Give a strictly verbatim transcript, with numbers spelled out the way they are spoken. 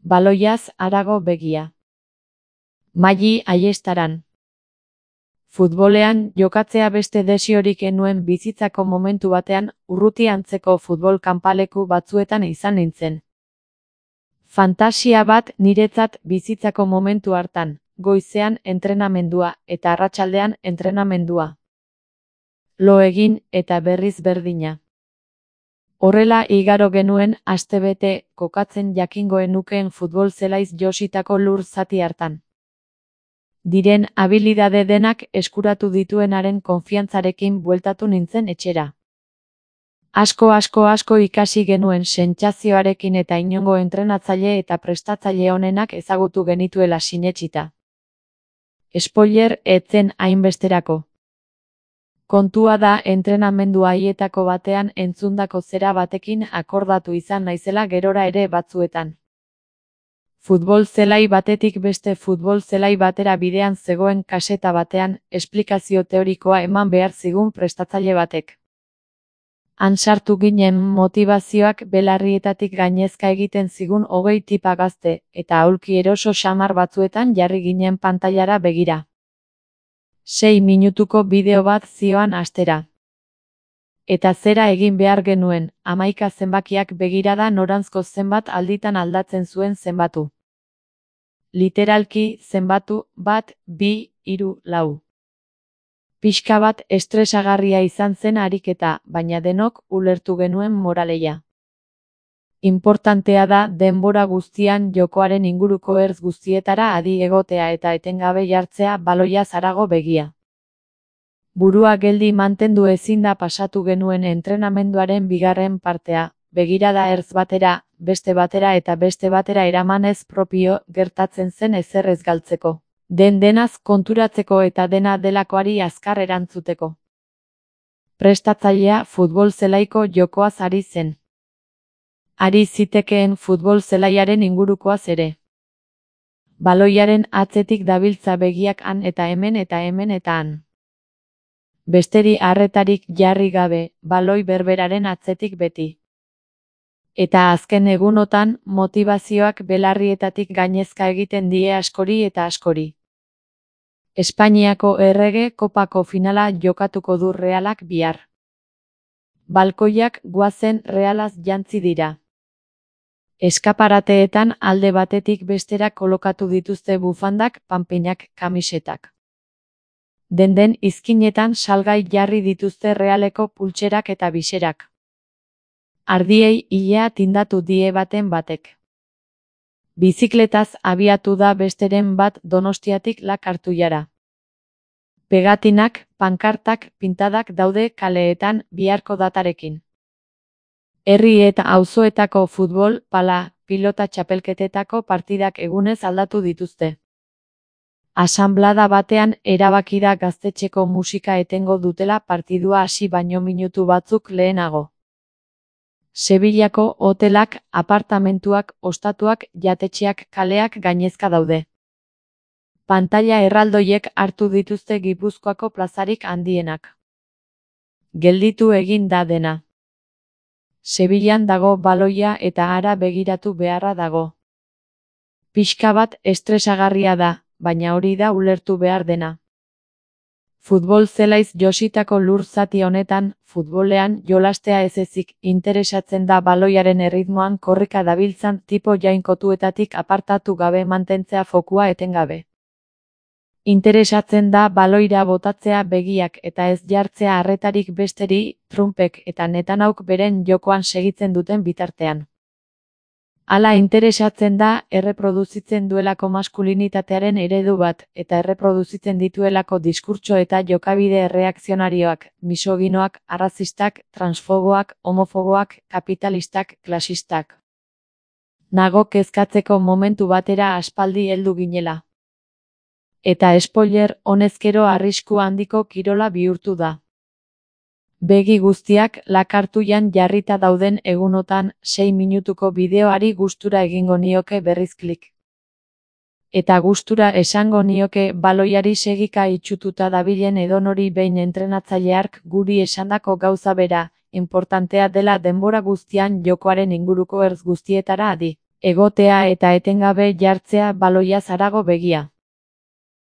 Baloiaz harago begia. Maiyi Ayestaran. Futbolean jokatzea beste desiorik enuen bizitzako momentu batean, urruti antzeko futbol kanpaleku batzuetan izan nintzen. Fantasia bat niretzat bizitzako momentu hartan, goizean entrenamendua eta arratsaldean entrenamendua. Lo egin eta berriz berdina. Horrela igaro genuen astebete kokatzen jakingoen nukeen futbol zelaiz jositako lur zati hartan. Diren habilidade denak eskuratu dituenaren konfiantzarekin bueltatu nintzen etxera. Asko asko asko ikasi genuen sentsazioarekin eta inongo entrenatzaile eta prestatzaile onenak ezagutu genituela sinetsita. Spoiler, ez zen hainbesterako. Kontua da entrenamendu haietako batean entzundako zera batekin akordatu izan naizela gerora ere batzuetan. Futbol zelai batetik beste futbol zelai batera bidean zegoen kaseta batean, esplikazio teorikoa eman behar zigun prestatzaile batek. Han sartu ginen motivazioak belarrietatik gainezka egiten zigun hogei tipa gazte, eta aulki eroso xamar batzuetan jarri ginen pantailara begira. Sei minutuko bideo bat zioan astera. Eta zera egin behar genuen, hamaika zenbakiak begirada noranzko zenbat alditan aldatzen zuen zenbatu. Literalki zenbatu, bat, bi, hiru, lau. Pixka bat estresagarria izan zen ariketa, baina denok ulertu genuen moraleia. Inportantea da denbora guztian jokoaren inguruko ertz guztietara adi egotea eta etengabe jartzea baloiaz harago begia. Burua geldi mantendu ezin da pasatu genuen entrenamenduaren bigarren partea, begirada ertz batera, beste batera eta beste batera eramanez propio gertatzen zen ezer ez galtzeko. Den denaz konturatzeko eta dena delakoari azkar erantzuteko. Prestatzailea futbol zelaiko jokoaz ari zen. Ari zitekeen futbol zelaiaren ingurukoaz ere. Baloiaren atzetik dabiltza begiak han eta hemen eta hemen eta han. Besteri harretarik jarri gabe, baloi berberaren atzetik beti. Eta azken egunotan, motivazioak belarrietatik gainezka egiten die askori eta askori. Espainiako errege kopako finala jokatuko du Realak bihar. Balkoiak goazen Realaz jantzi dira. Eskaparateetan alde batetik bestera kolokatu dituzte bufandak, panpinak, kamisetak. Den-den izkinetan salgai jarri dituzte Realeko pultserak eta biserak. Ardiei ilea tindatu die baten batek. Bizikletaz abiatu da besteren bat Donostiatik Lakartuiara. Pegatinak, pankartak, pintadak daude kaleetan biharko datarekin. Herri eta auzoetako futbol, pala, pilota txapelketetako partidak egunez aldatu dituzte. Asanblada batean erabaki da gaztetxeko musika etengo dutela partidua hasi baino minutu batzuk lehenago. Sevillako hotelak, apartamentuak, ostatuak, jatetxeak, kaleak gainezka daude. Pantaila erraldoiek hartu dituzte Gipuzkoako plazarik handienak. Gelditu egin da dena. Sevillan dago baloia eta hara begiratu beharra dago. Pixka bat estresagarria da, baina hori da ulertu behar dena. Futbol zelaiz jositako lur zati honetan, futbolean jolastea ez ezik interesatzen da baloiaren erritmoan korrika dabiltzan tipo jainkotuetatik apartatu gabe mantentzea fokua etengabe. Interesatzen da baloira botatzea begiak eta ez jartzea harretarik besteri, trumpek eta netanauk beren jokoan segitzen duten bitartean. Hala interesatzen da erreproduzitzen duelako maskulinitatearen eredu bat eta erreproduzitzen dituelako diskurtso eta jokabide erreakzionarioak, misoginoak, arrazistak, transfoboak, homofoboak, kapitalistak, klasistak. Nago kezkatzeko momentu batera aspaldi heldu ginela. Eta spoiler, honezkero arrisku handiko kirola bihurtu da. Begi guztiak Lakartuian jarrita dauden egunotan sei minutuko bideoari gustura egingo nioke berriz klik. Eta gustura esango nioke baloiari segika itxututa dabilen edonori behin entrenatzaileark guri esandako gauza bera, inportantea dela denbora guztian jokoaren inguruko ertz guztietara adi egotea eta etengabe jartzea baloia harago begia.